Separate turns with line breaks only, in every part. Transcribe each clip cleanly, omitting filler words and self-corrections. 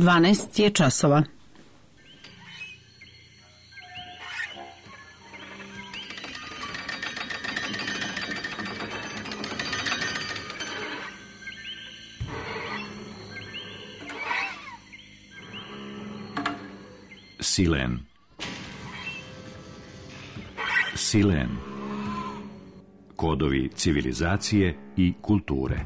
12 je časova.
Silen. Silen. Kodovi civilizacije i kulture.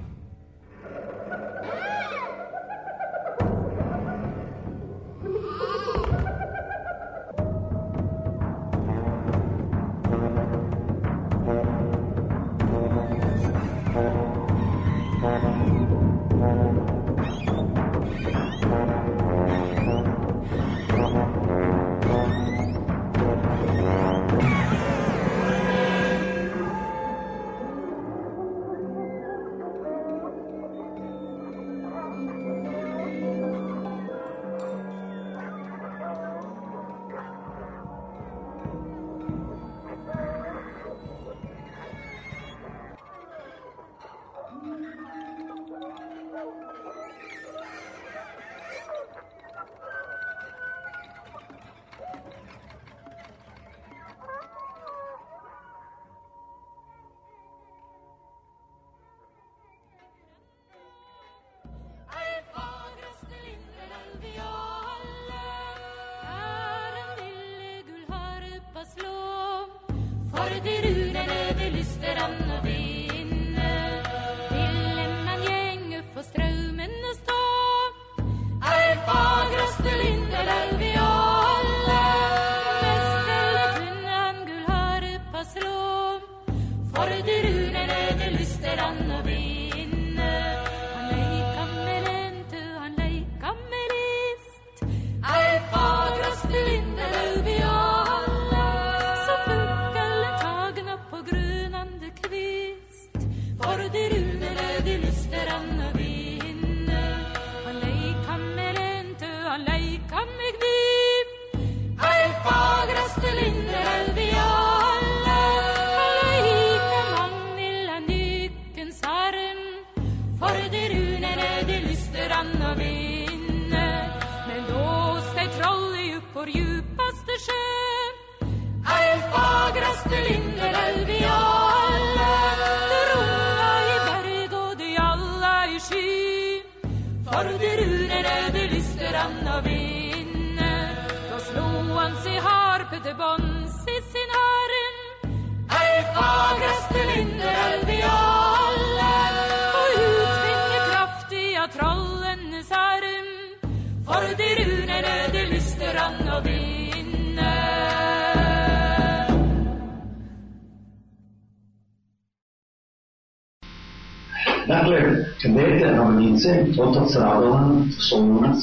Dakle, dete Ravnice, otac Radovan, Solunac,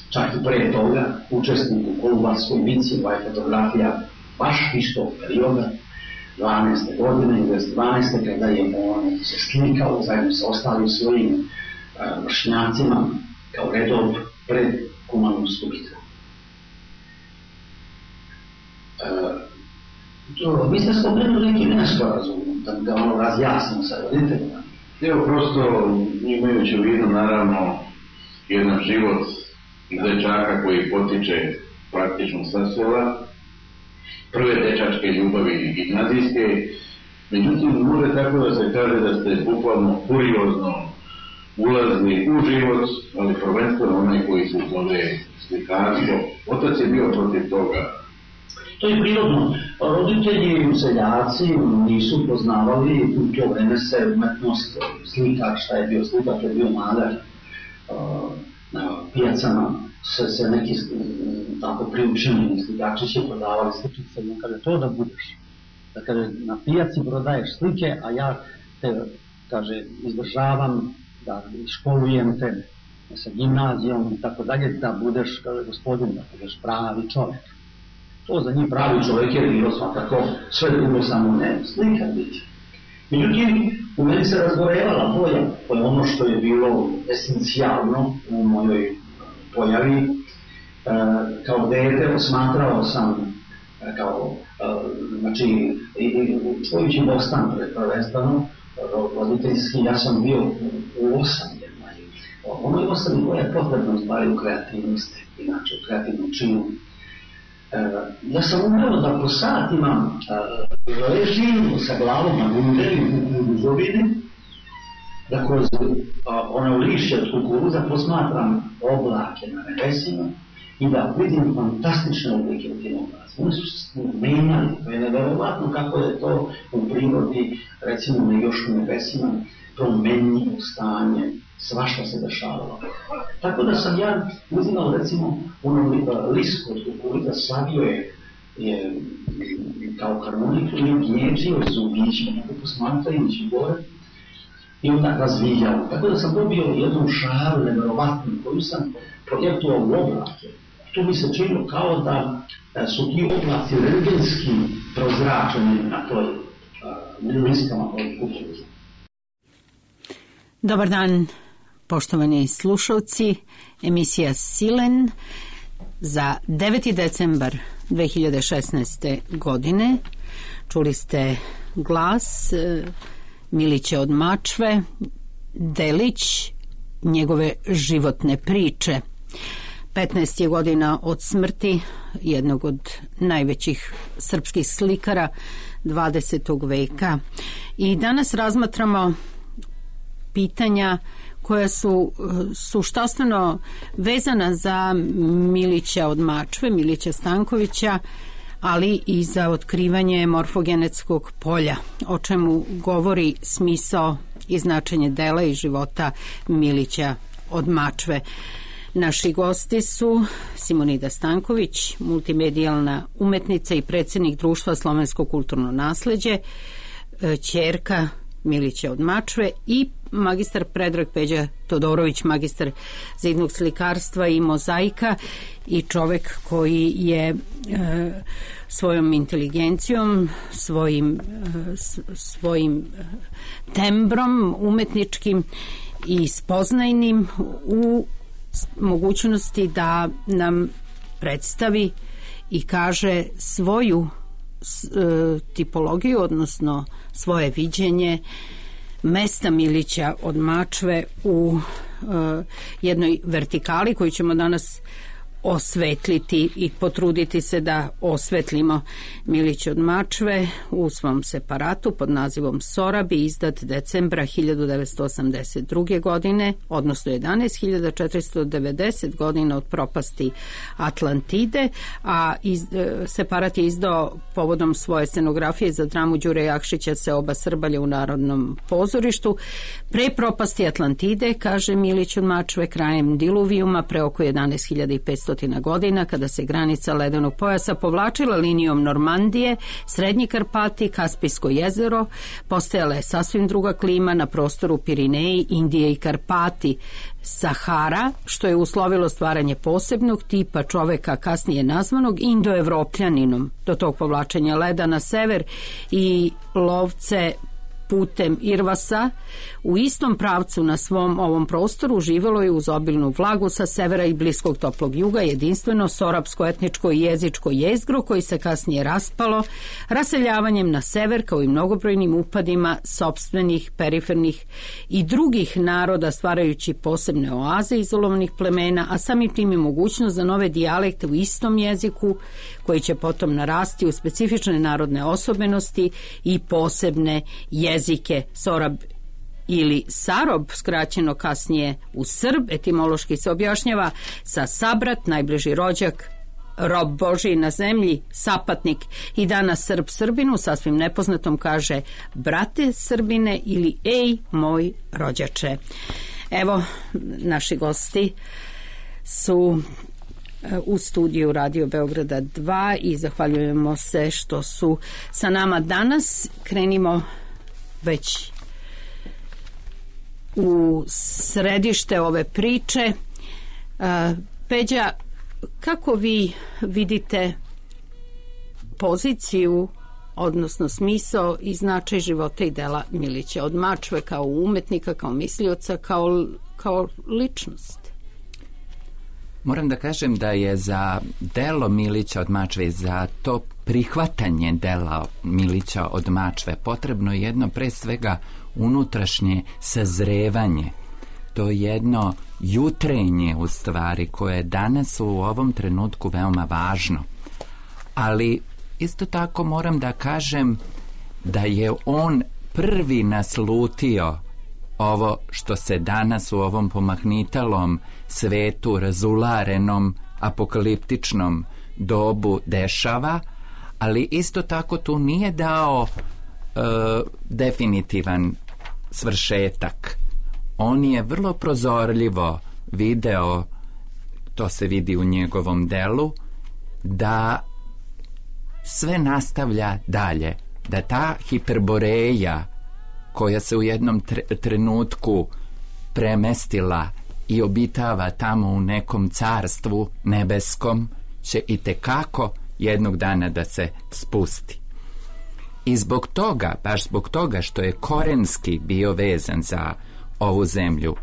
čak i pre toga, učesnik u Kolubarskoj bici, ova je fotografija baš istog perioda, 12. godine, 12. kada je on se slikao zajedno sa ostalim svojim vršnjacima kao redov pred Kumanovsku bitku. Vi ste spomenuli neki nesporazum, da ono razjasnimo sa roditeljima.
Evo, prosto imajući u vidu naravno jedan život dečaka koji potiče praktično sa sela, prve dečačke ljubavi gimnazijske, međutim može tako da se kaže da ste bukvalno kuriozno ulazili u život, ali prvenstveno onaj koji se zove slikarstvo. Otac je bio protiv toga.
To je prirodno. Roditelji, seljaci nisu poznavali u to vreme se umetnost slikar, šta je bio slikar, to je bio malar. Na pijacama se neki tako priučeni slikači će prodavali sličice, no kada to da budeš, da kada na pijaci prodaješ slike, a ja te, kaže, izdržavam, da školujem te sa gimnazijom i tako dalje, da budeš, kaže, gospodin, da budeš pravi čovjek. To za njih pravi čovjek je bilo svakako sve drugo, samo ne slikar biti. Međutim, u meni se razgorevala boja, to je ono što je bilo esencijalno u mojoj pojavi. Kao dete osmatrao sam kao, znači, čujući Bostan prvenstveno, roditeljski, ja sam bio u 8. Ono je ostavi koja je potrebno stvari u kreativnosti, inače u kreativnom činu. Ja sam umeo da po satima ležim sa glavom na gundeli u buzovini, da kroz ono lišće od kukuruza posmatram oblake na nebesima i da vidim fantastične oblike u tim oblacima. Oni su menjali, to je neverovatno kako je to u prirodi, recimo na još u nebesima, promenljivo stanje, svašta se dešavalo. Tako da sam ja uzimao recimo ono lisko od kukuruza, savio je kao harmoniku i gnječio zubićima, posmatrajući gore, i onda razvijao. Tako da sam dobio jednu šaru neverovatnu koju sam projektovao u oblake. To mi se činilo kao da su ti oblaci rengenski prozračeni na toj liskama od kukuruza.
Dobar dan, poštovani slušalci. Emisija Silen za 9. decembar 2016. godine. Čuli ste glas Milića od Mačve, delić njegove životne priče. 15 je godina od smrti jednog od najvećih srpskih slikara 20. veka. I danas razmatramo pitanja koja su suštastveno vezana za Milića od Mačve, Milića Stankovića, ali i za otkrivanje morfogenetskog polja, o čemu govori smisao i značenje dela i života Milića od Mačve. Naši gosti su Simonida Stanković, multimedijalna umetnica i predsjednik Društva Slovensko kulturno nasleđe, ćerka Milića od Mačve, i magistar Predrag Peđa Todorović, magistar zidnog slikarstva i mozaika i čovek koji je svojom inteligencijom, svojim tembrom umetničkim i spoznajnim u mogućnosti da nam predstavi i kaže svoju tipologiju, odnosno svoje viđenje mesta Milića od Mačve u jednoj vertikali koju ćemo danas osvetliti i potruditi se da osvetlimo. Milić od Mačve u svom separatu pod nazivom Sorabi, izdat decembra 1982. godine, odnosno 11.490 godina od propasti Atlantide, a separat je izdao povodom svoje scenografije za dramu Đure Jakšića Se oba Srbalja u Narodnom pozorištu. Pre propasti Atlantide, kaže Milić od Mačve, krajem diluvijuma, pre oko 11.500 godina, kada se granica ledenog pojasa povlačila linijom Normandije, Srednji Karpati, Kaspijsko jezero, postajala je sasvim druga klima na prostoru Pirineji, Indije i Karpati. Sahara, što je uslovilo stvaranje posebnog tipa čoveka kasnije nazvanog Indoevropljaninom. Do tog povlačenja leda na sever i lovce putem Irvasa u istom pravcu na svom ovom prostoru živelo je uz obilnu vlagu sa severa i bliskog toplog juga jedinstveno sorapsko etničko i jezičko jezgro koji se kasnije raspalo raseljavanjem na sever kao i mnogobrojnim upadima sopstvenih, perifernih i drugih naroda stvarajući posebne oaze izolovanih plemena, a samim tim i mogućnost za nove dijalekte u istom jeziku koji će potom narasti u specifične narodne osobenosti i posebne jezike. Sorab ili Sarob, skraćeno kasnije u Srb, etimološki se objašnjava sa sabrat, najbliži rođak, rob Božiji na zemlji, sapatnik, i danas Srb Srbinu sasvim nepoznatom kaže brate Srbine ili ej moj rođače. Evo, naši gosti su u studiju Radio Beograda 2 i zahvaljujemo se što su sa nama danas. Krenimo već u središte ove priče. Peđa, kako vi vidite poziciju, odnosno smisao i značaj života i dela Milića od Mačve kao umetnika, kao mislioca, kao ličnost?
Moram da kažem da je za delo Milića od Mačve, za to prihvatanje dela Milića od Mačve potrebno jedno pre svega unutrašnje sazrevanje. to jedno jutrenje u stvari koje je danas u ovom trenutku veoma važno. Ali isto tako moram da kažem da je on prvi naslutio ovo što se danas u ovom pomahnitalom svetu, razularenom, apokaliptičnom dobu dešava, ali isto tako tu nije dao definitivan svršetak. On je vrlo prozorljivo video, to se vidi u njegovom delu, da sve nastavlja dalje, da ta hiperboreja koja se u jednom trenutku premestila i obitava tamo u nekom carstvu nebeskom, će itekako jednog dana da se spusti. I zbog toga, baš zbog toga što je korenski bio vezan za ovu zemlju,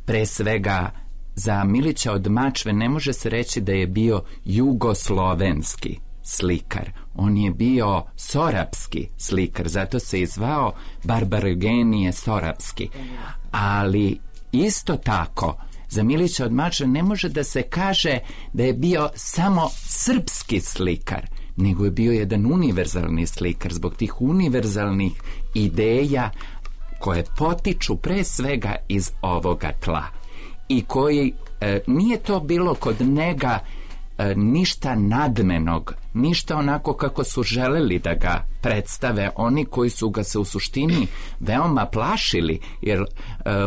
pre svega za Milića od Mačve ne može se reći da je bio jugoslovenski slikar. On je bio sorapski slikar, zato se i zvao Barbarogenije Sorapski. Ali isto tako, za Milića od Mačve ne može da se kaže da je bio samo srpski slikar, nego je bio jedan univerzalni slikar zbog tih univerzalnih ideja koje potiču pre svega iz ovoga tla i koji nije to bilo kod njega ništa nadmenog, ništa onako kako su želeli da ga predstave oni koji su ga se u suštini veoma plašili, jer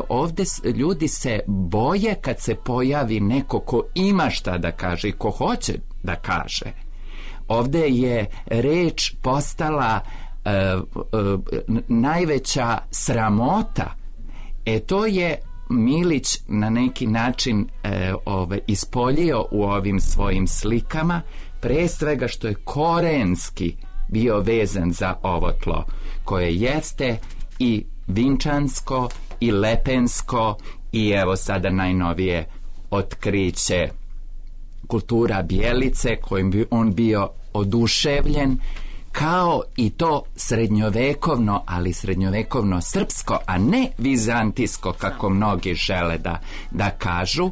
ovdje ljudi se boje kad se pojavi neko ko ima šta da kaže i ko hoće da kaže. Ovdje je reč postala najveća sramota. To je Milić na neki način ispoljio u ovim svojim slikama, pre svega što je korenski bio vezan za ovo tlo, koje jeste i vinčansko i lepensko i evo sada najnovije otkriće kultura Bjelice, kojim bi on bio oduševljen, kao i to srednjovekovno, ali srednjovekovno srpsko, a ne vizantijsko, kako mnogi žele da kažu,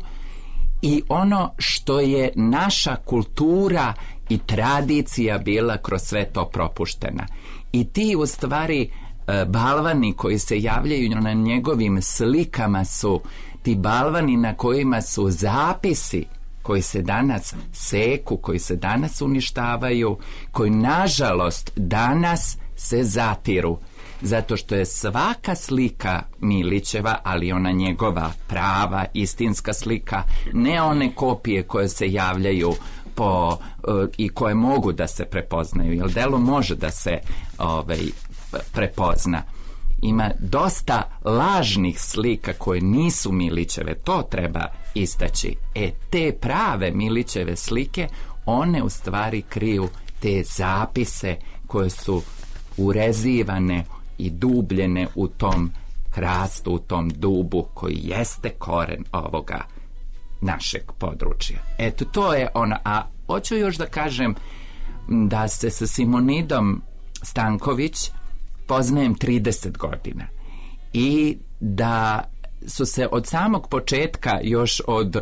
i ono što je naša kultura i tradicija bila kroz sve to propuštena. I ti u stvari balvani koji se javljaju na njegovim slikama su ti balvani na kojima su zapisi koji se danas seku, koji se danas uništavaju, koji nažalost danas se zatiru, zato što je svaka slika Milićeva, ali ona njegova prava, istinska slika, ne one kopije koje se javljaju i koje mogu da se prepoznaju, jer delo može da se prepozna. Ima dosta lažnih slika koje nisu Milićeve, to treba istaći. Te prave Milićeve slike, one u stvari kriju te zapise koje su urezivane i dubljene u tom hrastu, u tom dubu koji jeste koren ovoga našeg područja. To je ono. A hoću još da kažem da se sa Simonidom Stanković poznajem 30 godina i da su se od samog početka, još od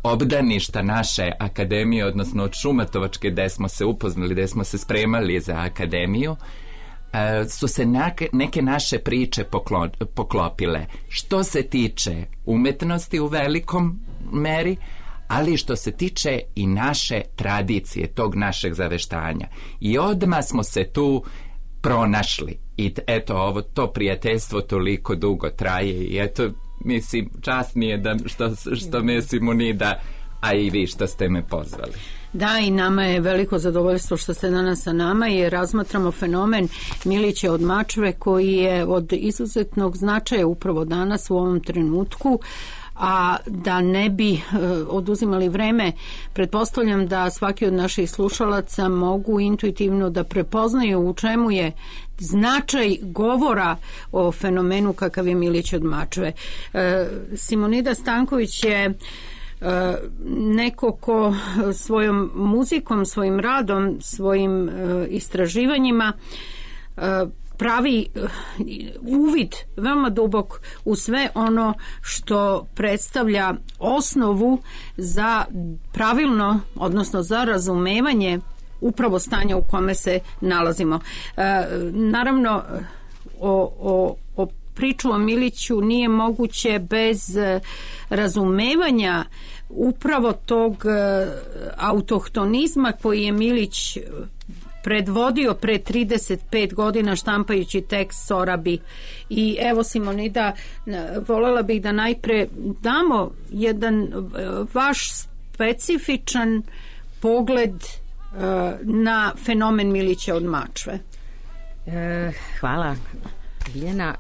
obdaništa naše akademije, odnosno od Šumatovačke, gde smo se upoznali, gde smo se spremali za akademiju, su se neke naše priče poklopile. Što se tiče umetnosti u velikom meri, ali što se tiče i naše tradicije, tog našeg zaveštanja. I odmah smo se tu pronašli. I eto, to prijateljstvo toliko dugo traje i eto, mislim, čast mi je da što me Simonida, a i vi što ste me pozvali.
Da, i nama je veliko zadovoljstvo što ste danas sa nama i razmatramo fenomen Milića od Mačve, koji je od izuzetnog značaja upravo danas u ovom trenutku. A da ne bi oduzimali vreme, pretpostavljam da svaki od naših slušalaca mogu intuitivno da prepoznaju u čemu je značaj govora o fenomenu kakav je Milić od Mačve. Simonida Stanković je neko ko svojom muzikom, svojim radom, svojim istraživanjima pravi uvid veoma dubok u sve ono što predstavlja osnovu za pravilno, odnosno za razumevanje upravo stanja u kome se nalazimo. Naravno, o priču o Miliću nije moguće bez razumevanja upravo tog autohtonizma koji je Milić predvodio pre 35 godina štampajući tekst Sorabi. I evo, Simonida, voljela bih da najpre damo jedan vaš specifičan pogled na fenomen Milića od Mačve.
Hvala, Biljana.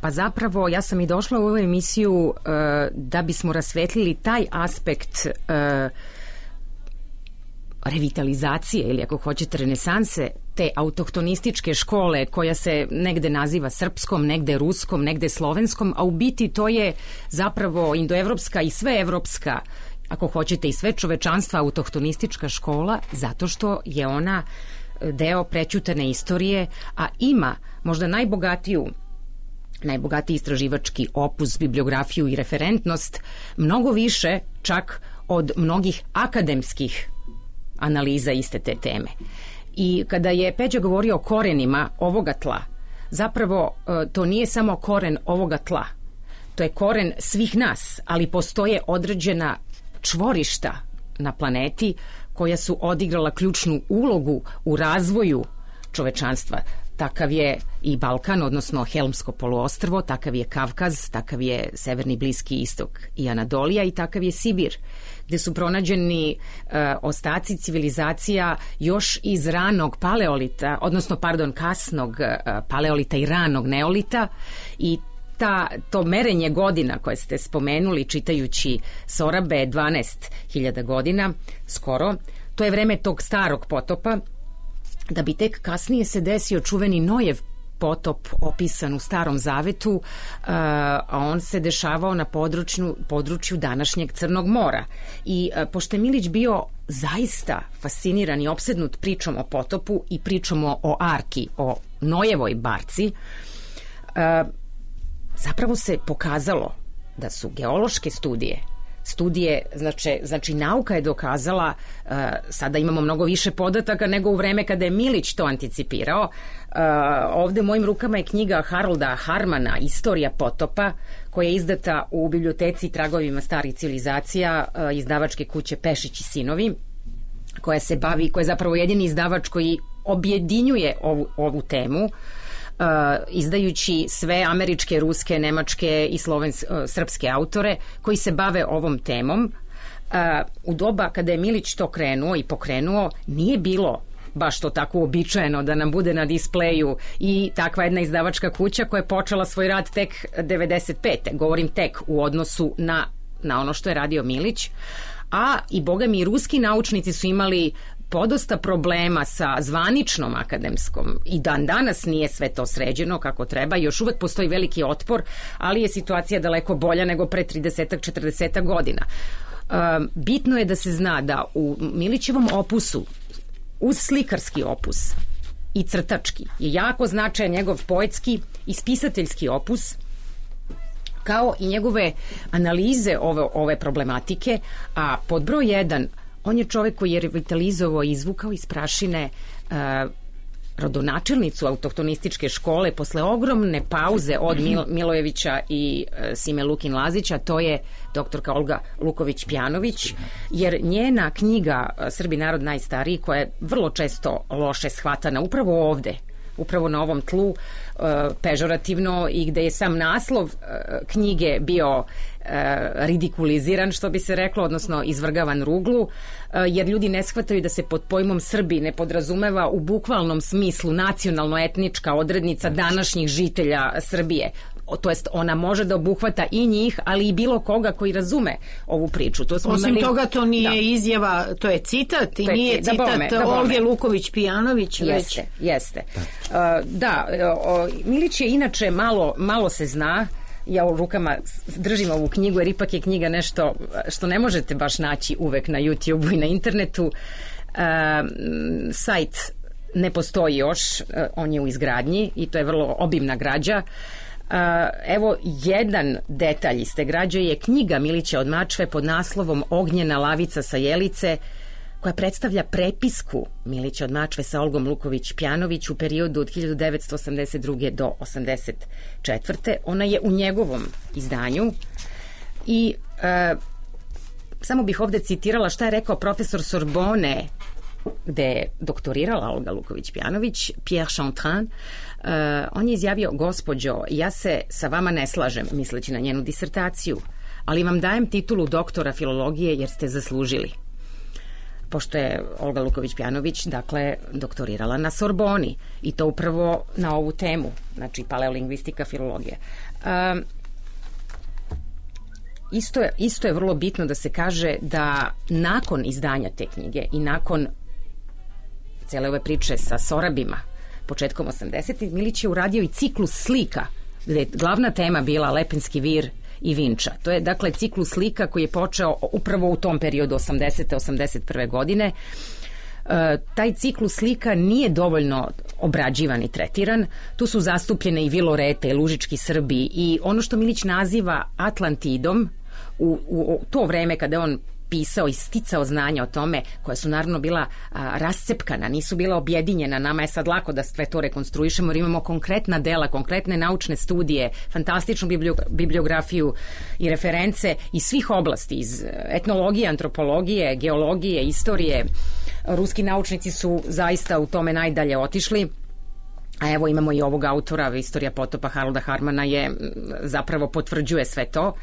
Pa zapravo ja sam i došla u ovu emisiju da bismo rasvetlili taj aspekt revitalizacije ili ako hoćete renesanse te autohtonističke škole koja se negde naziva srpskom, negde ruskom, negde slovenskom, a u biti to je zapravo indoevropska i sveevropska, ako hoćete i sve čovečanstva autohtonistička škola, zato što je ona deo prećutane istorije, a ima možda najbogatiji istraživački opus, bibliografiju i referentnost, mnogo više čak od mnogih akademskih analiza iste te teme. I kada je Peđa govorio o korenima ovoga tla, zapravo to nije samo koren ovoga tla, to je koren svih nas, ali postoje određena čvorišta na planeti koja su odigrala ključnu ulogu u razvoju čovečanstva. Takav je i Balkan, odnosno Helmsko poluostrvo, takav je Kavkaz, takav je Severni Bliski istok i Anadolija i takav je Sibir, gde su pronađeni ostaci civilizacija još iz ranog paleolita, odnosno, kasnog paleolita i ranog neolita, i to merenje godina koje ste spomenuli čitajući Sorabe 12.000 godina skoro, to je vreme tog starog potopa, da bi tek kasnije se desio čuveni Nojev potop opisan u Starom Zavetu, a on se dešavao na području današnjeg Crnog mora. I pošto je Milić bio zaista fasciniran i opsednut pričom o potopu i pričom o Arki, o Nojevoj barci, zapravo se pokazalo da su geološke studije, znači nauka je dokazala, sada imamo mnogo više podataka nego u vreme kada je Milić to anticipirao. Ovde u mojim rukama je knjiga Harolda Harmana Istorija potopa, koja je izdata u biblioteci Tragovima starih civilizacija izdavačke kuće Pešić i sinovi, koja je zapravo jedini izdavač koji objedinjuje ovu temu, izdajući sve američke, ruske, nemačke i srpske autore koji se bave ovom temom. U doba kada je Milić to krenuo i pokrenuo, nije bilo baš to tako uobičajeno da nam bude na displeju i takva jedna izdavačka kuća koja je počela svoj rad tek 95. Govorim tek u odnosu na ono što je radio Milić. A i boga mi, ruski naučnici su imali podosta problema sa zvaničnom akademskom i dan danas nije sve to sređeno kako treba, još uvek postoji veliki otpor, ali je situacija daleko bolja nego pre 30-40 godina. Bitno je da se zna da u Milićevom opusu, uz slikarski opus i crtački, je jako značajan njegov poetski i spisateljski opus, kao i njegove analize ove problematike, a pod broj 1, on je čovek koji je revitalizovao i izvukao iz prašine rodonačelnicu autohtonističke škole posle ogromne pauze od Milojevića i Sime Lukin Lazića, to je doktorka Olga Luković-Pjanović, jer njena knjiga Srbi narod najstariji, koja je vrlo često loše shvatana upravo ovde, upravo na ovom tlu, pežorativno, i gde je sam naslov knjige bio ridikuliziran, što bi se reklo, odnosno izvrgavan ruglu, jer ljudi ne shvataju da se pod pojmom Srbi ne podrazumeva u bukvalnom smislu nacionalno-etnička odrednica današnjih žitelja Srbije. To jest, ona može da obuhvata i njih, ali i bilo koga koji razume ovu priču.
Osim toga, to nije izjava, to je citat i nije citat Olge Luković-Pjanović.
Jeste. Da, Milić je inače malo se zna. Ja u rukama držim ovu knjigu, jer ipak je knjiga nešto što ne možete baš naći uvek na YouTube-u i na internetu. Sajt ne postoji još, on je u izgradnji i to je vrlo obimna građa. Evo, jedan detalj iz te građe je knjiga Milića od Mačve pod naslovom Ognjena lavica sa Jelice, koja predstavlja prepisku Milića od Mačve sa Olgom Luković-Pjanović u periodu od 1982. do 1984. Ona je u njegovom izdanju i samo bih ovde citirala šta je rekao profesor Sorbone, gde je doktorirala Olga Luković-Pjanović, Pierre Chantrin. On je izjavio: gospođo, ja se sa vama ne slažem, misleći na njenu disertaciju, ali vam dajem titulu doktora filologije jer ste zaslužili. Pošto je Olga Luković-Pjanović, dakle, doktorirala na Sorboni i to upravo na ovu temu, znači paleolingvistika, filologija. Isto je vrlo bitno da se kaže da nakon izdanja te knjige i nakon cele ove priče sa Sorabima početkom 80. Milić je uradio i ciklus slika gde je glavna tema bila Lepenski vir i Vinča. To je dakle ciklus slika koji je počeo upravo u tom periodu 80. 81. godine. Taj ciklus slika nije dovoljno obrađivan i tretiran. Tu su zastupljene i Vilorete i Lužički Srbi i ono što Milić naziva Atlantidom u to vreme kada on pisao i sticao znanja o tome, koja su naravno bila rascepkana, nisu bila objedinjena. Nama je sad lako da sve to rekonstruišemo jer imamo konkretna dela, konkretne naučne studije, fantastičnu bibliografiju i reference iz svih oblasti, iz etnologije, antropologije, geologije, istorije. Ruski naučnici su zaista u tome najdalje otišli. A evo imamo i ovog autora, Istorija potopa Harolda Harmana zapravo potvrđuje sve to.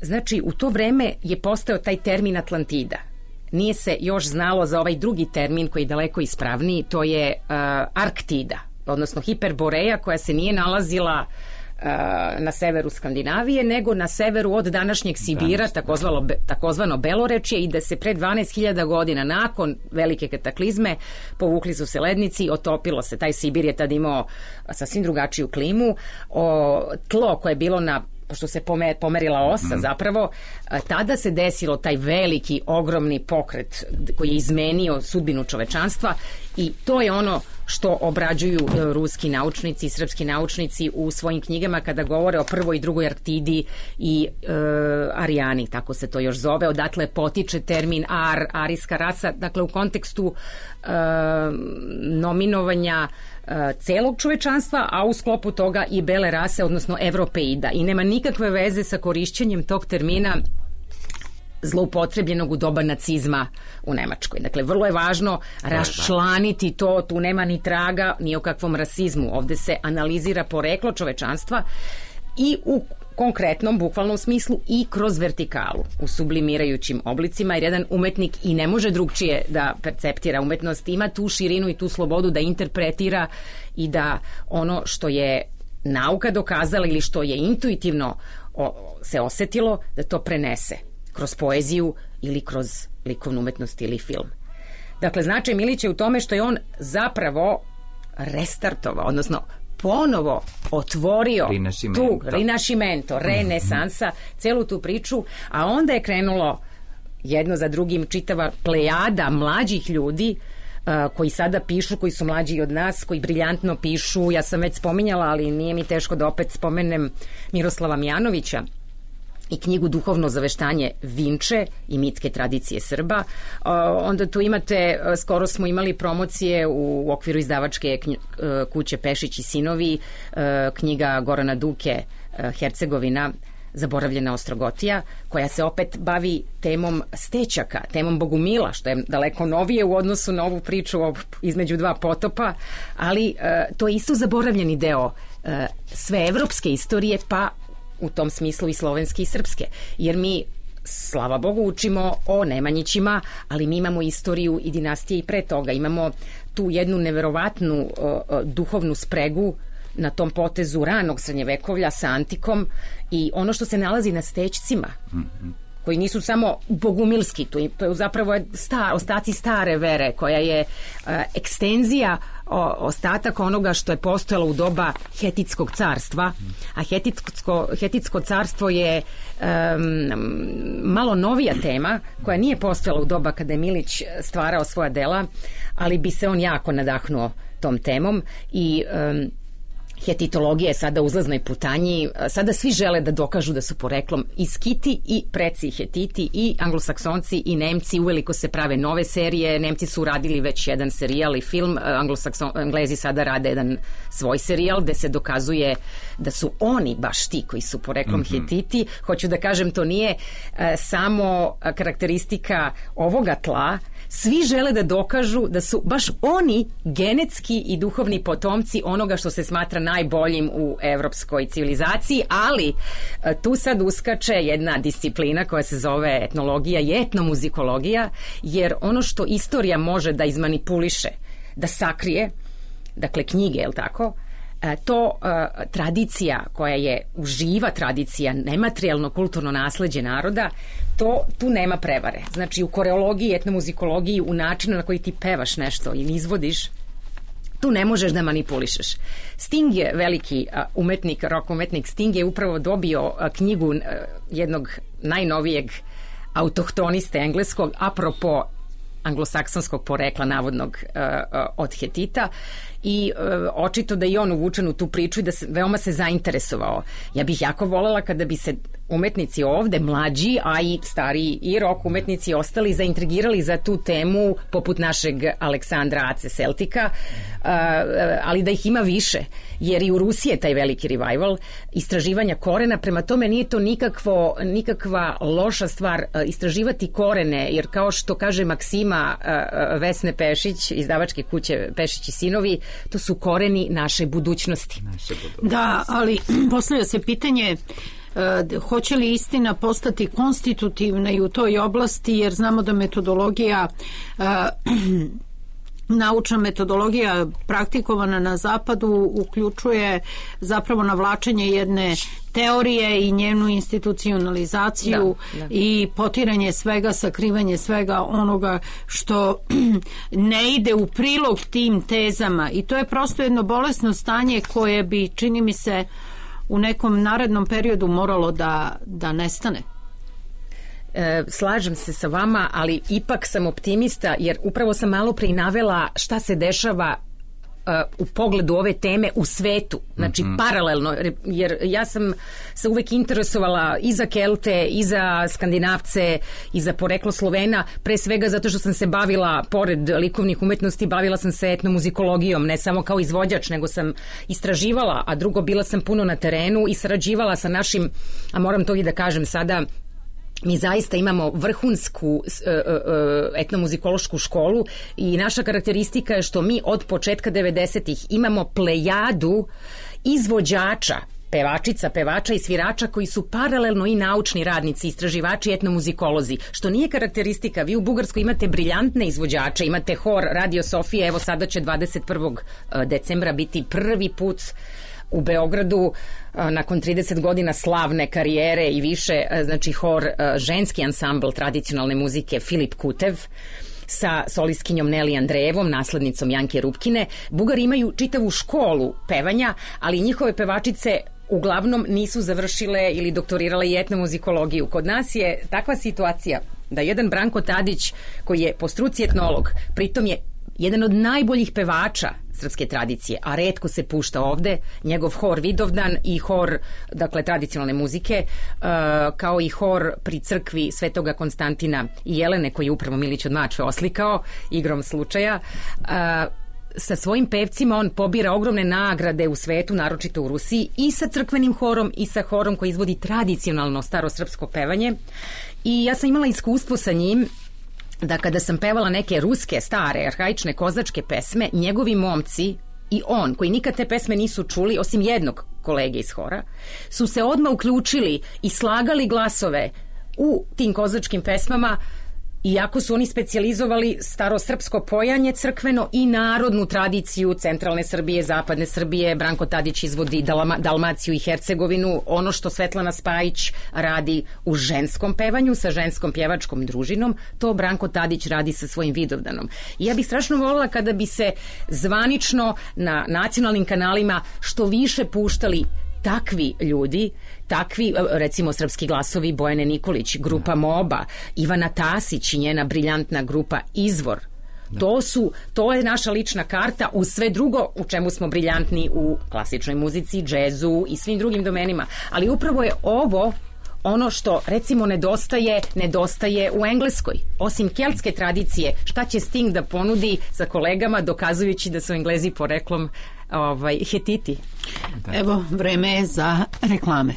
Znači, u to vreme je postao taj termin Atlantida. Nije se još znalo za ovaj drugi termin koji je daleko ispravniji, to je Arktida, odnosno Hiperboreja, koja se nije nalazila na severu Skandinavije, nego na severu od današnjeg Sibira, takozvano Belorečje, i da se pre 12.000 godina nakon velike kataklizme povukli su se lednici, otopilo se. Taj Sibir je tad imao sasvim drugačiju klimu. Tlo koje je bilo pošto se pomerila osa zapravo, tada se desilo taj veliki, ogromni pokret koji je izmenio sudbinu čovečanstva i to je ono što obrađuju ruski naučnici i srpski naučnici u svojim knjigama kada govore o prvoj i drugoj Arktidi i Arijani, tako se to još zove. Odatle potiče termin arijska rasa, dakle u kontekstu nominovanja celog čovečanstva, a u sklopu toga i bele rase, odnosno evropeida. I nema nikakve veze sa korišćenjem tog termina zloupotrebljenog u doba nacizma u Nemačkoj. Dakle, vrlo je važno raščlaniti to, tu nema ni traga ni o kakvom rasizmu. Ovde se analizira poreklo čovečanstva i u konkretnom, bukvalnom smislu i kroz vertikalu, u sublimirajućim oblicima, jer jedan umetnik i ne može drugčije da perceptira umetnost, ima tu širinu i tu slobodu da interpretira i da ono što je nauka dokazala ili što je intuitivno se osetilo, da to prenese kroz poeziju ili kroz likovnu umetnost ili film. Dakle, značaj Milića je u tome što je on zapravo restartovao, odnosno ponovo otvorio tu Rinascimento, renesansa, celu tu priču, a onda je krenulo jedno za drugim čitava plejada mlađih ljudi koji sada pišu, koji su mlađi od nas, koji briljantno pišu. Ja sam već spominjala, ali nije mi teško da opet spomenem Miroslava Mijanovića i knjigu Duhovno zaveštanje Vinče i mitske tradicije Srba. Onda tu imate, skoro smo imali promocije u okviru izdavačke kuće Pešić i sinovi, knjiga Gorana Duke, Hercegovina, Zaboravljena Ostrogotija, koja se opet bavi temom stećaka, temom Bogumila, što je daleko novije u odnosu na ovu priču između dva potopa, ali to je isto zaboravljeni deo sve evropske istorije, pa u tom smislu i slovenske i srpske. Jer mi, slava Bogu, učimo o Nemanjićima, ali mi imamo istoriju i dinastije i pre toga. Imamo tu jednu neverovatnu duhovnu spregu na tom potezu ranog srednjevekovlja sa antikom i ono što se nalazi na stećcima koji nisu samo bogumilski, to je zapravo ostaci stare vere, koja je ekstenzija, ostatak onoga što je postojalo u doba Hetitskog carstva, a Hetitsko carstvo je malo novija tema koja nije postojala u doba kada je Milić stvarao svoja dela, ali bi se on jako nadahnuo tom temom i hetitologija je sada u uzlaznoj putanji. Sada svi žele da dokažu da su poreklom i Skiti i preci Hetiti i Anglosaksonci i Nemci. Uveliko se prave nove serije. Nemci su uradili već jedan serijal i film. Englezi sada rade jedan svoj serijal gde se dokazuje da su oni baš ti koji su poreklom Hetiti. Hoću da kažem, to nije samo karakteristika ovoga tla. Svi žele da dokažu da su baš oni genetski i duhovni potomci onoga što se smatra najboljim u evropskoj civilizaciji, ali tu sad uskače jedna disciplina koja se zove etnologija i etnomuzikologija, jer ono što istorija može da izmanipuliše, da sakrije, dakle knjige, je li tako, to tradicija koja je uživa tradicija, nematerijalno kulturno nasleđe naroda, tu nema prevare. Znači u koreologiji, etnomuzikologiji, u načinu na koji ti pevaš nešto ili izvodiš, tu ne možeš da manipulišeš. Sting je veliki umetnik, rock umetnik. Sting je upravo dobio knjigu jednog najnovijeg autohtoniste engleskog, apropo anglosaksonskog porekla navodnog od Hetita, i očito da i on uvučen u tu priču i da veoma se zainteresovao. Ja bih jako voljela kada bi se umetnici ovde, mlađi, a i stariji i rock umetnici ostali zaintrigirali za tu temu, poput našeg Aleksandra Ace Celtika, ali da ih ima više, jer i u Rusiji je taj veliki revival istraživanja korena, prema tome nije to nikakva loša stvar istraživati korene, jer kao što kaže Maksima Vesne Pešić, izdavačke kuće Pešić i sinovi, to su koreni naše budućnosti.
Da, ali postavlja se pitanje hoće li istina postati konstitutivna i u toj oblasti, jer znamo da metodologija naučna metodologija praktikovana na zapadu uključuje zapravo navlačenje jedne teorije i njenu institucionalizaciju i potiranje svega, sakrivanje svega onoga što ne ide u prilog tim tezama, i to je prosto jedno bolesno stanje koje bi, čini mi se, u nekom narednom periodu moralo da nestane.
Slažem se sa vama, ali ipak sam optimista, jer upravo sam malo pre navela šta se dešava u pogledu ove teme u svetu, znači paralelno, jer ja sam se uvek interesovala i za Kelte, i za Skandinavce, i za poreklo Slovena, pre svega zato što sam se bavila, pored likovnih umetnosti, bavila sam se etnomuzikologijom, ne samo kao izvođač, nego sam istraživala, a drugo, bila sam puno na terenu i sarađivala sa našim, a moram to i da kažem sada, mi zaista imamo vrhunsku etnomuzikološku školu i naša karakteristika je što mi od početka 90-ih imamo plejadu izvođača, pevača i svirača koji su paralelno i naučni radnici, istraživači, etnomuzikolozi, što nije karakteristika. Vi u Bugarskoj imate briljantne izvođače, imate hor Radio Sofije, evo sada će 21. decembra biti prvi put u Beogradu nakon 30 godina slavne karijere i više, znači hor ženski ansambl tradicionalne muzike Filip Kutev sa solistkinjom Neli Andrejevom, naslednicom Janke Rupkine. Bugari imaju čitavu školu pevanja, ali njihove pevačice uglavnom nisu završile ili doktorirale i etnomuzikologiju. Kod nas je takva situacija da jedan Branko Tadić, koji je po struci etnolog, pritom je jedan od najboljih pevača srpske tradicije, a retko se pušta ovde, njegov hor Vidovdan i hor, dakle, tradicionalne muzike, kao i hor pri crkvi Svetoga Konstantina i Jelene, koji je upravo Milić od Mačve oslikao igrom slučaja. Sa svojim pevcima on pobira ogromne nagrade u svetu, naročito u Rusiji, i sa crkvenim horom i sa horom koji izvodi tradicionalno starosrpsko pevanje. I ja sam imala iskustvo sa njim da kada sam pevala neke ruske, stare, arhaične kozačke pesme, njegovi momci i on, koji nikad te pesme nisu čuli, osim jednog kolege iz hora, su se odmah uključili i slagali glasove u tim kozačkim pesmama iako su oni specijalizovali starosrpsko pojanje crkveno i narodnu tradiciju centralne Srbije, zapadne Srbije. Branko Tadić izvodi Dalmaciju i Hercegovinu. Ono što Svetlana Spajić radi u ženskom pevanju sa ženskom pjevačkom družinom, to Branko Tadić radi sa svojim Vidovdanom. I ja bih strašno volila kada bi se zvanično na nacionalnim kanalima što više puštali takvi ljudi, takvi, recimo Srpski glasovi Bojane Nikolić, grupa Moba, Ivana Tasić i njena briljantna grupa Izvor. To je naša lična karta uz sve drugo u čemu smo briljantni u klasičnoj muzici, džezu i svim drugim domenima. Ali upravo je ovo ono što, recimo, nedostaje u Engleskoj. Osim keltske tradicije, šta će Sting da ponudi sa kolegama dokazujući da su Englezi poreklom Hetiti?
Evo, vreme je za reklame.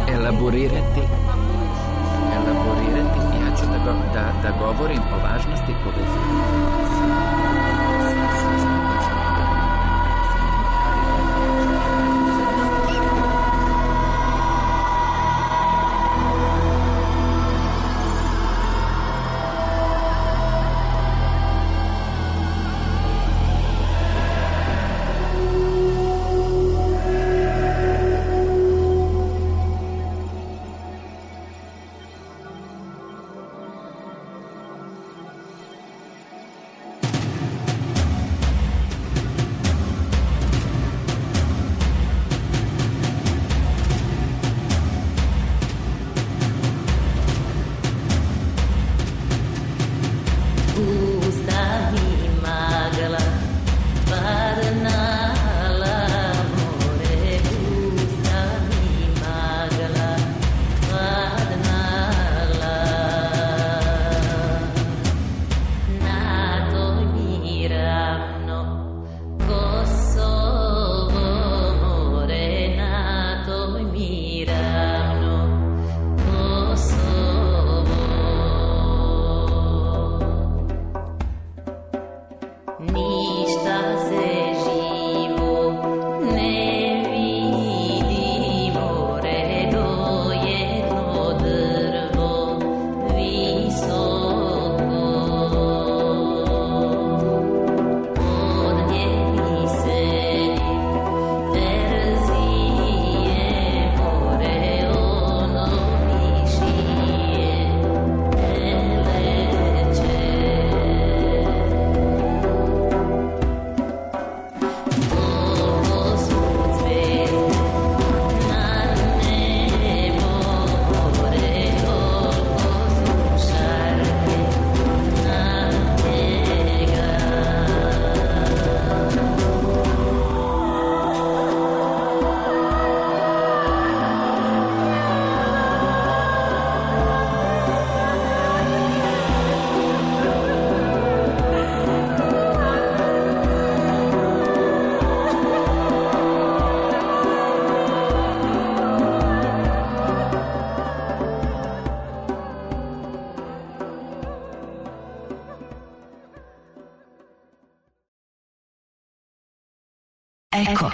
Elaborirati, ja ću da govorim o važnosti povezivanja.
Eko.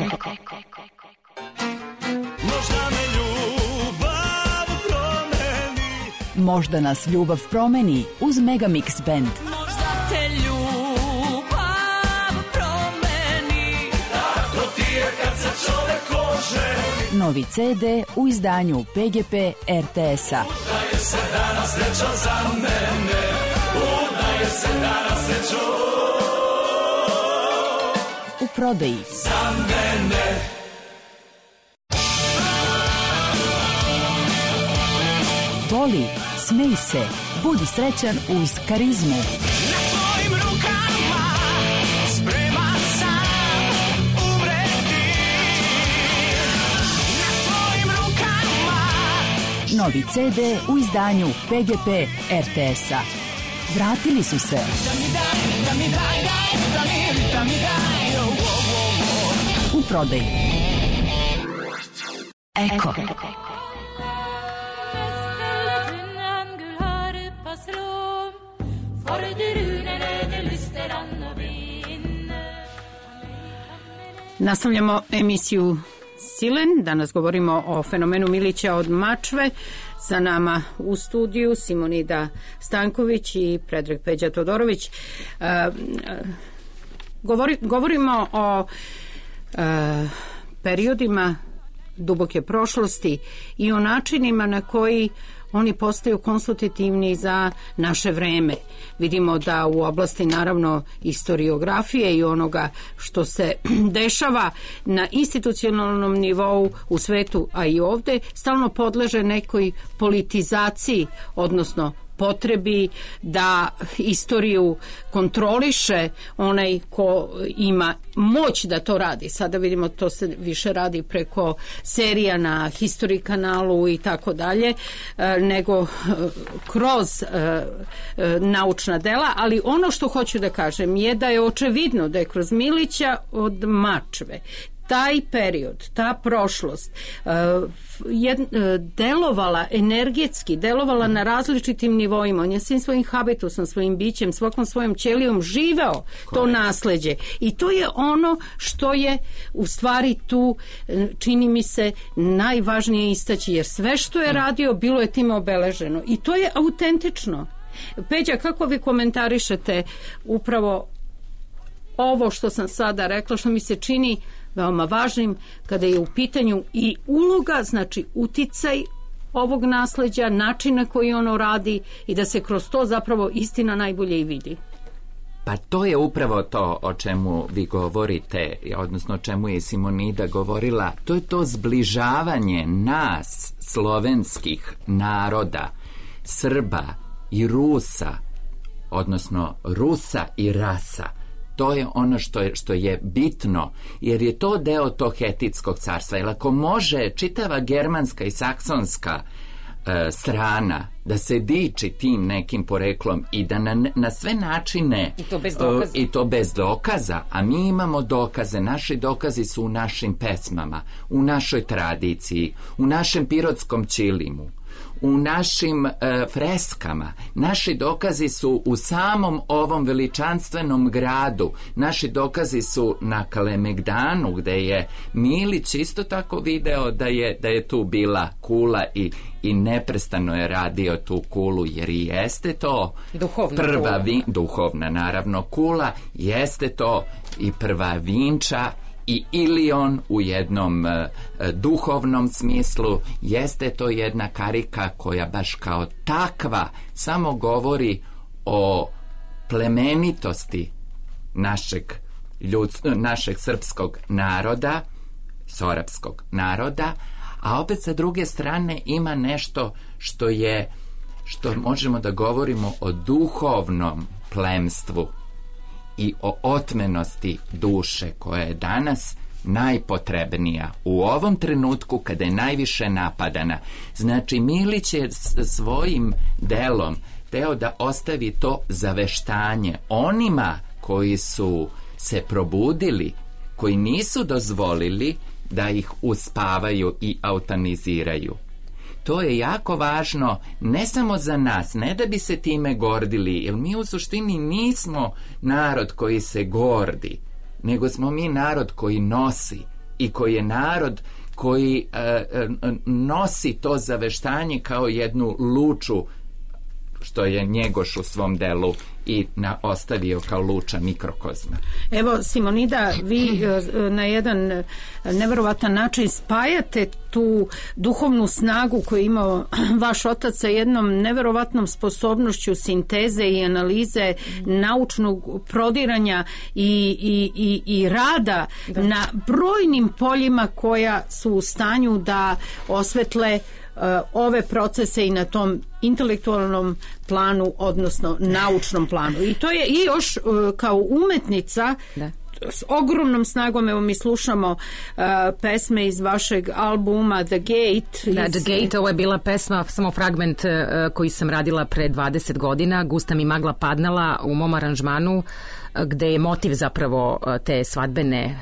Možda nas ljubav promeni uz Megamix Band.
Možda te ljubav promeni, tako ti je kad se čovek oženi.
Novi CD u izdanju PGP RTS-a.
Udaje se danas sreća za mene, udaje se danas sreća
u prodaji.
Za mene.
Voli, smej se, budi srećan uz karizmu.
Na tvojim rukama spreman sam umreti. Na tvojim
novi CD u izdanju PGP RTS-a. Vratili su se. U prodaji. Eko.
Nastavljamo emisiju Silen. Danas govorimo o fenomenu Milića od Mačve. Sa nama u studiju Simonida Stanković i Predrag Peđa Todorović. Govorimo o periodima duboke prošlosti i o načinima na koji oni postaju konstitutivni za naše vreme. Vidimo da u oblasti naravno historiografije i onoga što se dešava na institucionalnom nivou u svetu, a i ovde, stalno podleže nekoj politizaciji, odnosno potrebi da istoriju kontroliše onaj ko ima moć da to radi. Sada vidimo to se više radi preko serija na History kanalu i tako dalje, nego kroz naučna dela, ali ono što hoću da kažem je da je očevidno da je kroz Milića od Mačve taj period, ta prošlost delovala energetski, delovala na različitim nivoima. On je svim svojim habitusom, svojim bićem, svakom svojom ćelijom živeo to nasleđe. I to je ono što je u stvari tu, čini mi se, najvažnije istaći, jer sve što je radio bilo je time obeleženo. I to je autentično. Peđa, kako vi komentarišete upravo ovo što sam sada rekla, što mi se čini veoma važnim kada je u pitanju i uloga, znači uticaj ovog nasleđa, način na koji ono radi i da se kroz to zapravo istina najbolje i vidi.
Pa to je upravo to o čemu vi govorite, odnosno o čemu je Simonida govorila. To je to zbližavanje nas, slovenskih naroda, Srba i Rusa, odnosno Rusa i rasa. To je ono što je bitno, jer je to deo tog Hetitskog carstva. Jer ako može čitava germanska i saksonska strana da se diči tim nekim poreklom i da na sve načine i to bez dokaza, a mi imamo dokaze, naši dokazi su u našim pesmama, u našoj tradiciji, u našem pirotskom ćilimu, u našim freskama. Naši dokazi su u samom ovom veličanstvenom gradu. Naši dokazi su na Kalemegdanu, gde je Milić isto tako video da je tu bila kula i neprestano je radio tu kulu, jer i jeste to duhovna naravno kula, jeste to i prva Vinča i Ilion u jednom duhovnom smislu, jeste to jedna karika koja baš kao takva samo govori o plemenitosti našeg srpskog naroda, sorapskog naroda, a opet sa druge strane ima nešto što možemo da govorimo o duhovnom plemstvu i o otmenosti duše koja je danas najpotrebnija u ovom trenutku kada je najviše napadana. Znači, Milić je svojim delom teo da ostavi to zaveštanje onima koji su se probudili, koji nisu dozvolili da ih uspavaju i eutaniziraju. To je jako važno ne samo za nas, ne da bi se time gordili, jer mi u suštini nismo narod koji se gordi, nego smo mi narod koji nosi i koji je narod koji nosi to zaveštanje kao jednu luču, što je Njegoš u svom delu i ostavio kao luča mikrokozma.
Evo, Simonida, vi na jedan neverovatan način spajate tu duhovnu snagu koju je imao vaš otac sa jednom neverovatnom sposobnošću sinteze i analize, naučnog prodiranja i rada na brojnim poljima koja su u stanju da osvetle ove procese i na tom intelektualnom planu, odnosno naučnom planu. I to je i još kao umetnica s ogromnom snagom, evo mi slušamo pesme iz vašeg albuma The Gate.
Da, The Gate, ovo je bila pesma, samo fragment koji sam radila pre 20 godina, Gusta mi magla padnala u mom aranžmanu, gde je motiv zapravo te svadbene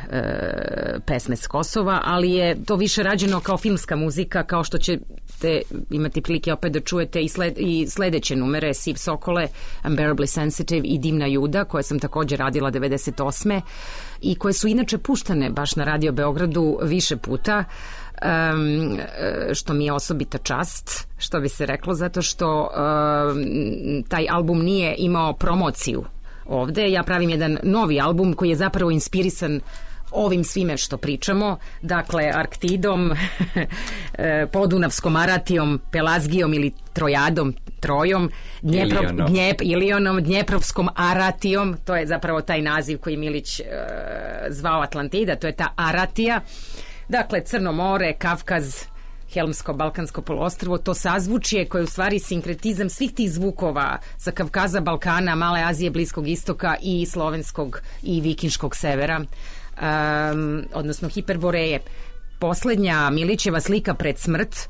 pesme s Kosova, ali je to više rađeno kao filmska muzika, kao što ćete imati prilike opet da čujete i sledeće numere, Siv Sokole, Unbearably Sensitive i Dimna Juda, koje sam takođe radila 98. i koje su inače puštane baš na Radio Beogradu više puta, što mi je osobita čast, što bi se reklo, zato što taj album nije imao promociju ovde. Ja pravim jedan novi album koji je zapravo inspirisan ovim svime što pričamo, dakle Arktidom, Podunavskom Aratijom, Pelazgijom ili Trojadom, Trojom, Ilionom, Dnjeprovskom Aratijom, to je zapravo taj naziv koji Milić zvao Atlantida, to je ta Aratija, dakle Crno more, Kavkaz, Helmsko-Balkansko poluostrvo, to sazvučje koje je u stvari sinkretizam svih tih zvukova sa Kavkaza, Balkana, Male Azije, Bliskog istoka i slovenskog i vikinškog severa, odnosno Hiperboreje. Poslednja Milićeva slika pred smrt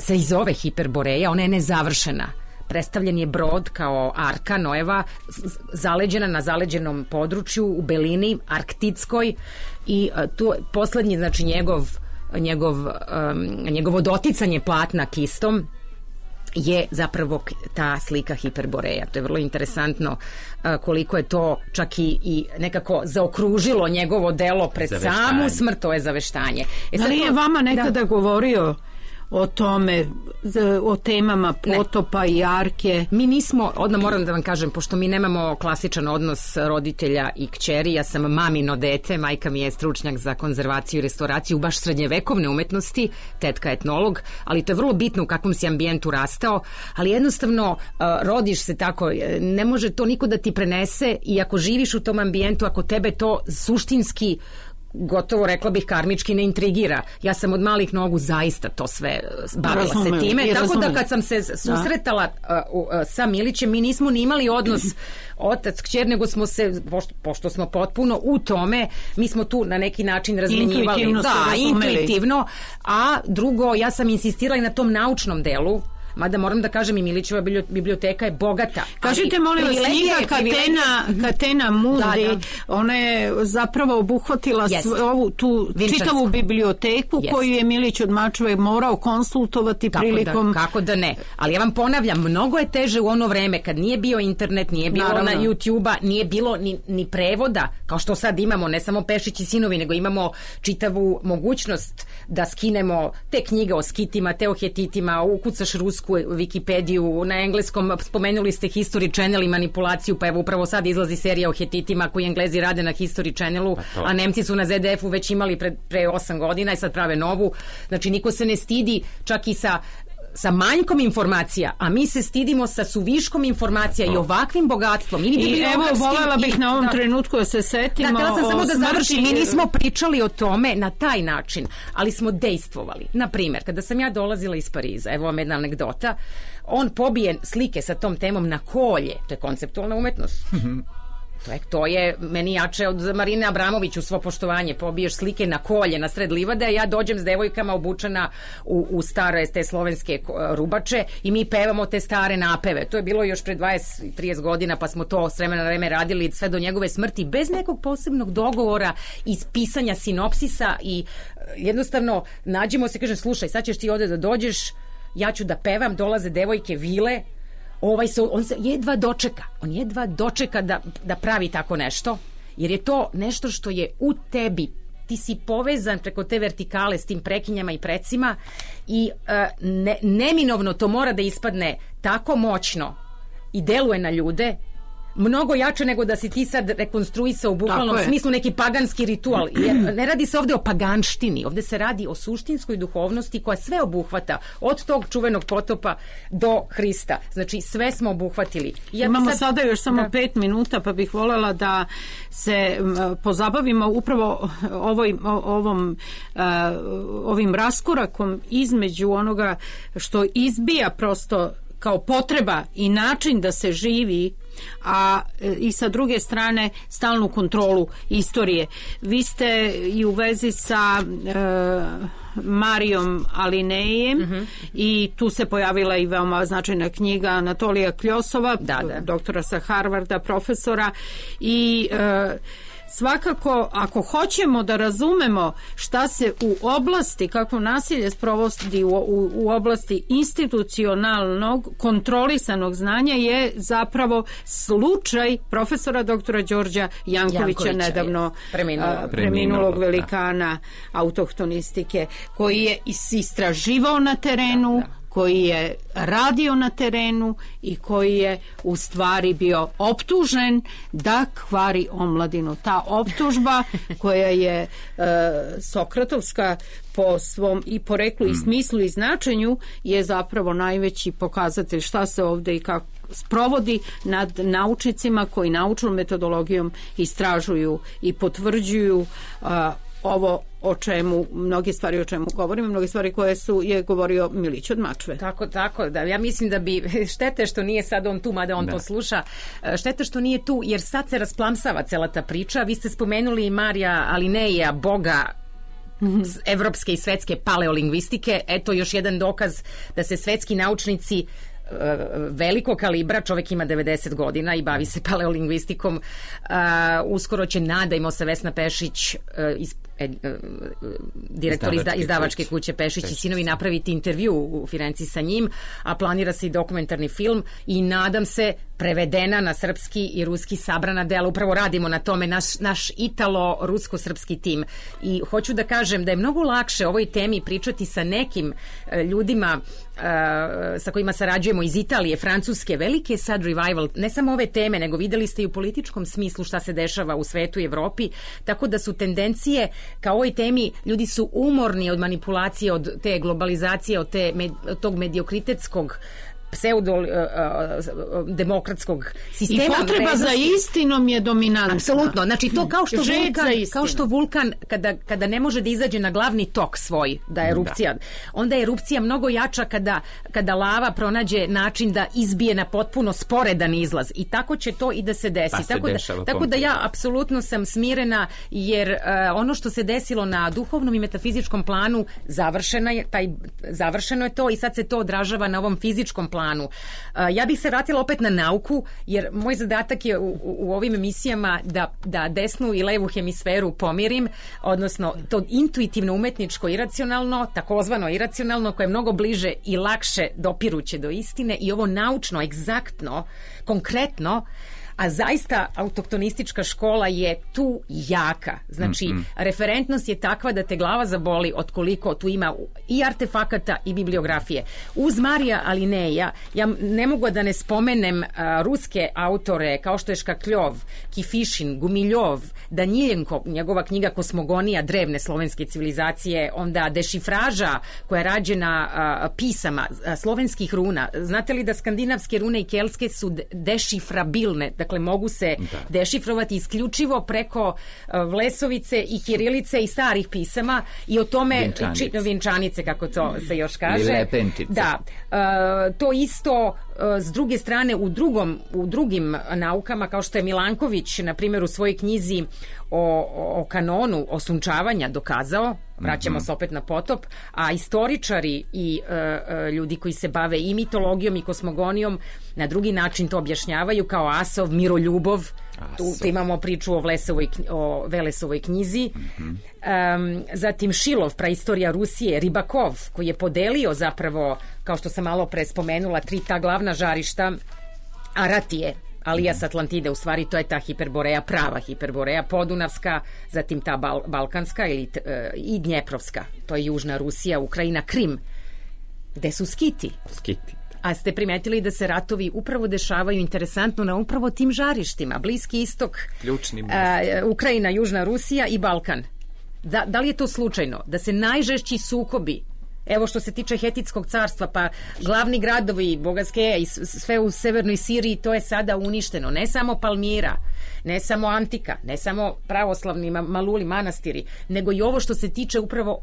se i zove Hiperboreja, ona je nezavršena. Predstavljen je brod kao arka Noeva, zaleđena na zaleđenom području u belini arktitskoj i tu poslednji, znači njegovo doticanje platna kistom je zapravo ta slika Hiperboreja. To je vrlo interesantno koliko je to čak i nekako zaokružilo njegovo delo pred samu smrt, to je zaveštanje.
Ali je vama nekada govorio o tome, o temama potopa i arke?
Mi nismo, odmah moram da vam kažem, pošto mi nemamo klasičan odnos roditelja i kćeri, ja sam mamino dete, majka mi je stručnjak za konzervaciju i restauraciju baš srednjevekovne umetnosti, tetka etnolog, ali to je vrlo bitno u kakvom si ambijentu rastao, ali jednostavno rodiš se tako, ne može to niko da ti prenese i ako živiš u tom ambijentu, ako tebe to suštinski gotovo, rekla bih, karmički ne intrigira. Ja sam od malih nogu zaista to sve bavila se time. Tako da kad sam se susretala sa Milićem, mi nismo ni imali odnos otac, kćer, nego smo se, pošto smo potpuno u tome, mi smo tu na neki način razmenjivali. Intuitivno. A drugo, ja sam insistirala i na tom naučnom delu, mada moram da kažem i Milićeva biblioteka je bogata.
Kažite, molim vas, knjiga Katena Mundi, ona je zapravo obuhvatila ovu tu čitavu biblioteku koju je Milić od Mačve morao konsultovati prilikom...
Kako da ne, ali ja vam ponavljam, mnogo je teže u ono vreme kad nije bio internet, nije bilo na YouTube-a, nije bilo ni prevoda, kao što sad imamo, ne samo Pešić i sinovi, nego imamo čitavu mogućnost da skinemo te knjige o skitima, te o hetitima, ukucaš rusku Wikipediju, na engleskom spomenuli ste History Channel i manipulaciju, pa evo upravo sad izlazi serija o hetitima koju Englezi rade na History Channelu, a Nemci su na ZDF-u već imali pre 8 godina i sad prave novu. Znači niko se ne stidi čak i sa manjkom informacija, a mi se stidimo sa suviškom informacija i ovakvim bogatstvom.
I evo, voljela bih na ovom trenutku da se setimo
htjela sam samo da završim. Mi nismo pričali o tome na taj način, ali smo dejstvovali. Na primjer, kada sam ja dolazila iz Pariza, evo vam jedna anegdota, on pobije slike sa tom temom na kolje, to je konceptualna umetnost. To je meni jače od Marine Abramović, u svo poštovanje, pobiješ slike na kolje na sred livade, a ja dođem s devojkama obučena u stare te slovenske rubače i mi pevamo te stare napeve. To je bilo još pre 20-30 godina, pa smo to s vremena na vreme radili sve do njegove smrti, bez nekog posebnog dogovora iz pisanja sinopsisa i jednostavno nađemo se, kažem, slušaj, sad ćeš ti ovde da dođeš, ja ću da pevam, dolaze devojke vile, on se jedva dočeka da pravi tako nešto, jer je to nešto što je u tebi, ti si povezan preko te vertikale s tim prekinjama i precima i neminovno to mora da ispadne tako moćno i deluje na ljude mnogo jače nego da si ti sad rekonstruisao u bukvalnom smislu neki paganski ritual. Jer ne radi se ovde o paganštini, ovde se radi o suštinskoj duhovnosti koja sve obuhvata, od tog čuvenog potopa do Hrista. Znači sve smo obuhvatili.
Imamo sada još samo 5 minuta, pa bih voljela da se pozabavimo upravo ovim raskorakom između onoga što izbija prosto kao potreba i način da se živi a i sa druge strane stalnu kontrolu istorije. Vi ste i u vezi sa Marijom Alinejem i tu se pojavila i veoma značajna knjiga Anatolija Kljosova, doktora sa Harvarda, profesora, i svakako, ako hoćemo da razumemo šta se u oblasti, kako nasilje sprovodi u oblasti institucionalnog, kontrolisanog znanja, je zapravo slučaj profesora doktora Đorđa Jankovića, nedavno preminulog velikana autohtonistike, koji je istraživao na terenu, koji je radio na terenu i koji je u stvari bio optužen da kvari omladinu. Ta optužba koja je sokratovska po svom i poreklu i smislu i značenju je zapravo najveći pokazatelj šta se ovde i kako sprovodi nad naučnicima koji naučnom metodologijom istražuju i potvrđuju ovo o čemu, mnoge stvari o čemu govorimo, mnoge stvari koje je govorio Milić od Mačve.
Tako, da ja mislim da bi, štete što nije sad on tu, mada on to sluša, štete što nije tu, jer sad se rasplamsava cela ta priča. Vi ste spomenuli Marija Alineja, boga evropske i svetske paleolingvistike. Eto još jedan dokaz da se svetski naučnici velikog kalibra, čovjek ima 90 godina i bavi se paleolingvistikom, uskoro će, nadajmo se, Vesna Pešić, direktor izdavačke kuće Pešić i sinovi, napraviti intervju u Firenci sa njim, a planira se i dokumentarni film i nadam se prevedena na srpski i ruski sabrana dela. Upravo radimo na tome, naš italo-rusko-srpski tim. I hoću da kažem da je mnogo lakše o ovoj temi pričati sa nekim ljudima sa kojima sarađujemo iz Italije, Francuske. Veliki je sad revival, ne samo ove teme, nego videli ste i u političkom smislu šta se dešava u svetu i Evropi, tako da su tendencije ka ovoj temi, ljudi su umorni od manipulacije, od te globalizacije, od tog mediokritetskog pseudo-demokratskog sistema.
I potreba za istinom je dominantna.
Apsolutno. Znači to kao što vulkan kada ne može da izađe na glavni tok svoj, da je erupcija, onda je erupcija mnogo jača kada lava pronađe način da izbije na potpuno sporedan izlaz. I tako će to i da se desi. Tako da ja apsolutno sam smirena, jer ono što se desilo na duhovnom i metafizičkom planu završeno je to i sad se to odražava na ovom fizičkom planu. Ja bih se vratila opet na nauku, jer moj zadatak je u ovim emisijama da desnu i levu hemisferu pomirim, odnosno to intuitivno, umetničko, iracionalno, takozvano iracionalno, koje je mnogo bliže i lakše dopiruće do istine, i ovo naučno, egzaktno, konkretno. A zaista autohtonistička škola je tu jaka. Znači, referentnost je takva da te glava zaboli od koliko tu ima i artefakata i bibliografije. Uz Marija Alineja, ja ne mogu da ne spomenem ruske autore kao što je Škakljov, Kifišin, Gumiljov, Daniljenko, njegova knjiga Kosmogonija drevne slovenske civilizacije, onda dešifraža koja je rađena pisama slovenskih runa. Znate li da skandinavske rune i keltske su dešifrabilne, dakle mogu se dešifrovati isključivo preko Vlesovice i Kirilice i starih pisama, i o tome Vinčanice, kako to se još kaže. Da, to isto s druge strane u drugim naukama, kao što je Milanković na primjer u svojoj knjizi o kanonu osunčavanja dokazao, vraćamo se opet na potop, a istoričari i ljudi koji se bave i mitologijom i kosmogonijom na drugi način to objašnjavaju, kao Asov, Miroljubov. Tu imamo priču o Velesovoj knjizi. Zatim Šilov, praistorija Rusije, Ribakov, koji je podelio zapravo, kao što sam malo pre spomenula, 3 ta glavna žarišta Aratije, alijas Atlantide, u stvari to je ta Hiperboreja, prava Hiperboreja, podunavska, zatim ta balkanska i Dnjeprovska, to je južna Rusija, Ukrajina, Krim, gde su Skiti. A ste primetili da se ratovi upravo dešavaju interesantno na upravo tim žarištima, Bliski istok, Ukrajina, južna Rusija i Balkan. Da li je to slučajno? Da se najžešći sukobi, evo što se tiče Hetitskog carstva, pa glavni gradovi Bogaskeja i sve u severnoj Siriji, to je sada uništeno. Ne samo Palmira, ne samo Antika, ne samo pravoslavni Maluli manastiri, nego i ovo što se tiče upravo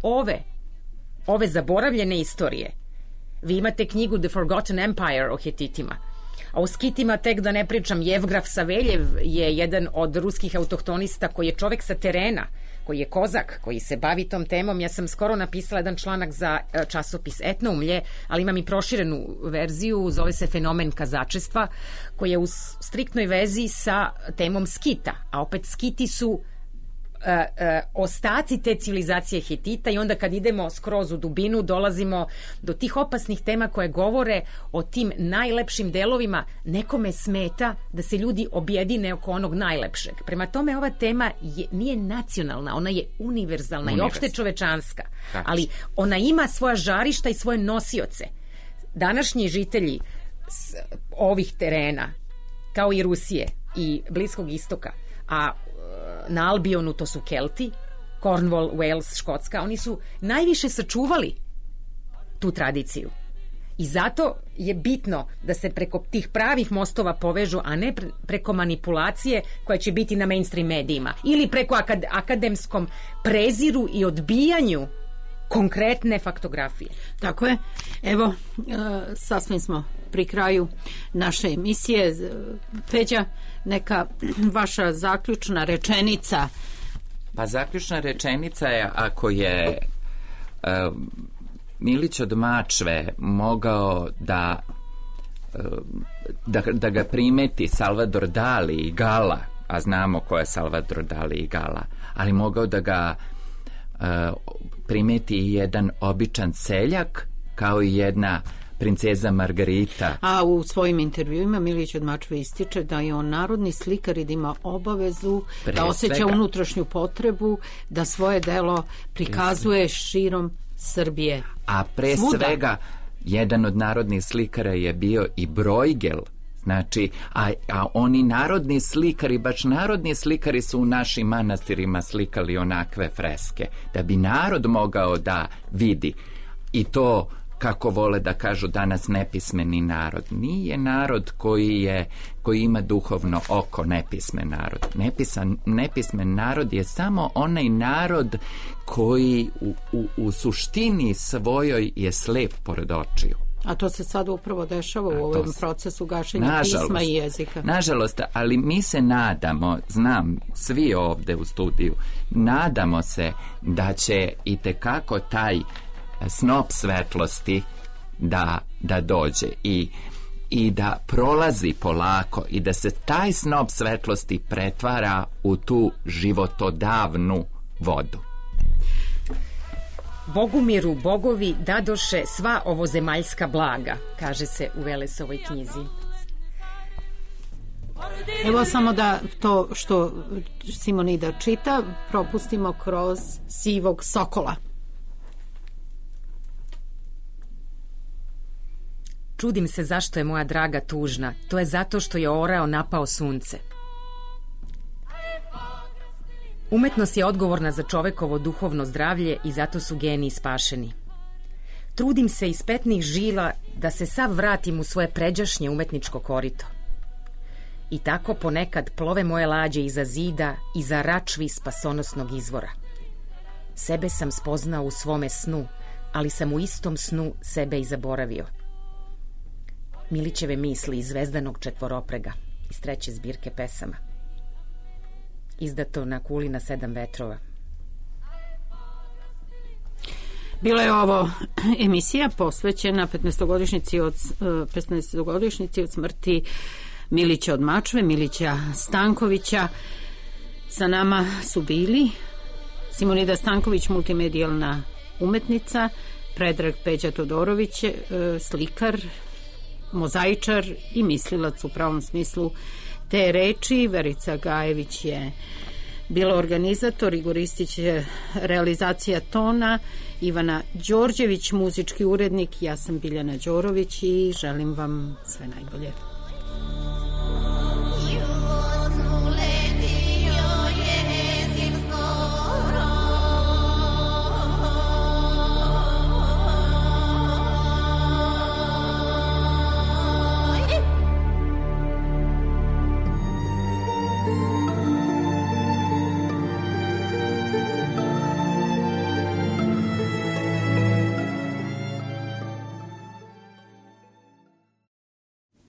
ove zaboravljene istorije. Vi imate knjigu The Forgotten Empire o Hetitima. A o skitima tek da ne pričam, Jevgraf Saveljev je jedan od ruskih autohtonista koji je čovek sa terena, koji je kozak, koji se bavi tom temom. Ja sam skoro napisala jedan članak za časopis Etnoumlje, ali imam i proširenu verziju, zove se Fenomen kazačestva, koji je u striktnoj vezi sa temom skita, a opet skiti su ostaci te civilizacije Hitita i onda kad idemo skroz u dubinu dolazimo do tih opasnih tema koje govore o tim najlepšim delovima. Nekome smeta da se ljudi objedine oko onog najlepšeg. Prema tome ova tema nije nacionalna, ona je univerzalna i opšte čovečanska, ali ona ima svoja žarišta i svoje nosioce. Današnji žitelji ovih terena, kao i Rusije i Bliskog istoka, a na Albionu to su Kelti, Cornwall, Wales, Škotska, oni su najviše sačuvali tu tradiciju. I zato je bitno da se preko tih pravih mostova povežu, a ne preko manipulacije koja će biti na mainstream medijima ili preko akademskom preziru i odbijanju konkretne faktografije.
Tako je. Evo, sasvim smo pri kraju naše emisije. Peđa, neka vaša zaključna rečenica.
Pa zaključna rečenica je, ako je Milić od Mačve mogao da ga primeti Salvador Dali i Gala, a znamo ko je Salvador Dali i Gala, ali mogao da ga primeti i jedan običan seljak, kao i jedna princeza Margarita.
A u svojim intervjuima Milić od Mačve ističe da je on narodni slikar i da ima obavezu da osjeća unutrašnju potrebu da svoje delo prikazuje širom Srbije.
A pre svega jedan od narodnih slikara je bio i Brojgel. Znači, a oni narodni slikari, baš narodni slikari su u našim manastirima slikali onakve freske, da bi narod mogao da vidi. I to, kako vole da kažu danas, nepismeni narod. Nije narod koji ima duhovno oko nepismen narod. Nepismen narod je samo onaj narod koji u suštini svojoj je slep pored očiju.
A to se sad upravo dešava u ovom procesu gašenja pisma i jezika.
Nažalost, ali mi se nadamo, znam, svi ovde u studiju, nadamo se da će itekako taj snop svetlosti da dođe i da prolazi polako i da se taj snop svetlosti pretvara u tu životodavnu vodu.
Bogumiru bogovi dadoše sva ovozemaljska blaga, kaže se u Velesovoj knjizi.
Evo samo da to što Simonida čita propustimo kroz Sivog sokola.
Čudim se zašto je moja draga tužna. To je zato što je orao napao sunce. Umetnost je odgovorna za čovekovo duhovno zdravlje i zato su geniji spašeni. Trudim se iz petnih žila da se sav vratim u svoje pređašnje umetničko korito. I tako ponekad plove moje lađe iza zida, iza račvi spasonosnog izvora. Sebe sam spoznao u svome snu, ali sam u istom snu sebe i zaboravio. Milićeve misli iz Zvezdanog četvoroprega, iz 3. zbirke pesama. Izdato na kuli na 7 vetrova.
Bila je ovo emisija posvećena 15-godišnjici od smrti Milića od Mačve, Milića Stankovića. Sa nama su bili Simonida Stanković, multimedijalna umetnica, Predrag Peđa Todorović, slikar, mozaičar i mislilac u pravom smislu te reči. Verica Gajević je bila organizator, Igor Istić je realizacija tona, Ivana Đorđević muzički urednik, ja sam Biljana Đorović i želim vam sve najbolje.